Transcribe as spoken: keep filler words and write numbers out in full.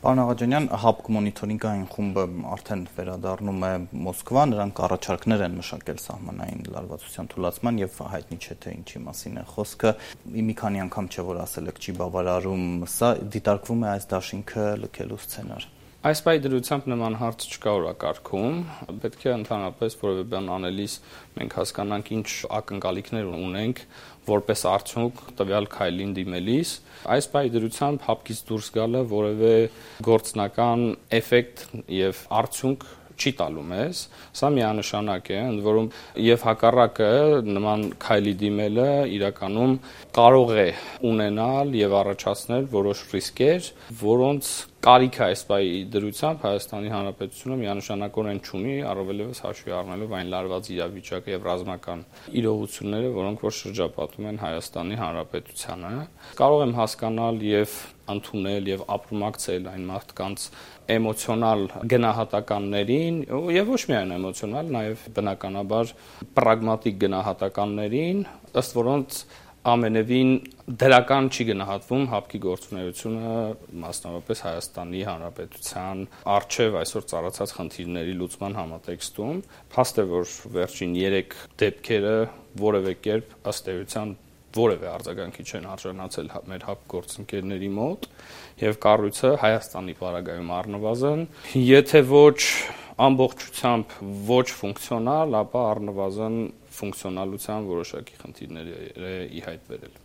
Պարոն Աղաջանյան, ՀԱՊԿ մոնիթորինգային խումբը արդեն վերադառնում է Մոսկվա, նրանք առաջարկներ են մշակել սահմանային լարվածության թուլացման եւ հայտնի չէ թե ինչի մասին է խոսքը։ Մի քանի անգամ չէ որ ասել եք չի բավարարում, սա դիտարկվում է այս դաշինքը լքելու սցենար։ Այս պահի դրությամբ նման հարց չկա օրակարգում, պետք է ընդհանրապես որևէ բան անելիս մենք հասկանանք ինչ ակնկալիքներ ունենք որպես արդյունք տվյալ քայլին դիմելիս։ Այս պահի դրությամբ ՀԱՊԿ-ից դուրս գալը որևէ գործնական էֆեկտ եւ արդյունք չի տալու մեզ, սա միանշանակ է, ընդ որում եւ հակառակը նման քայլի դիմելը իրականում կարող է ունենալ եւ առաջացնել որոշ ռիսկեր, որոնց կարիքը այս պահի դրությամբ Հայաստանի Հանրապետությունը միանշանակորեն չունի, առավելևս հաշվի առնելով այն լարված իրավիճակը եւ ռազմական իրողությունները, որոնք որ շրջապատում են Հայաստանի Հանրապետությանը։ Կարող եմ հասկանալ եւ ընդունել եւ ապրումակցել այն մարդկանց էմոցիոնալ գնահատականներին եւ ոչ միայն էմոցիոնալ, նաեւ բնականաբար պրագմատիկ գնահատականներին, ըստ որոնց ամենևին դրական չի գնահատվում ՀԱՊԿ-ի գործունեությունը, մասնավորապես Հայաստանի Հանրապետության առջև այսօր ծառացած խնդիրների լուծման համատեքստում։ Փաստ է, որ վերջին երեք դեպքերը որևէ կերպ ըստ էության որևէ արձագանքի չեն արժանացել մեր ՀԱՊԿ գործընկերների մոտ եւ կառույցը Հայաստանի պարագայում առնվազն, եթե ոչ ամբողջությամբ ոչ ֆունկցիոնալ, ապա առնվազն ֆունկցիոնալության որոշակի խնդիրներ է ի հայտ բերել։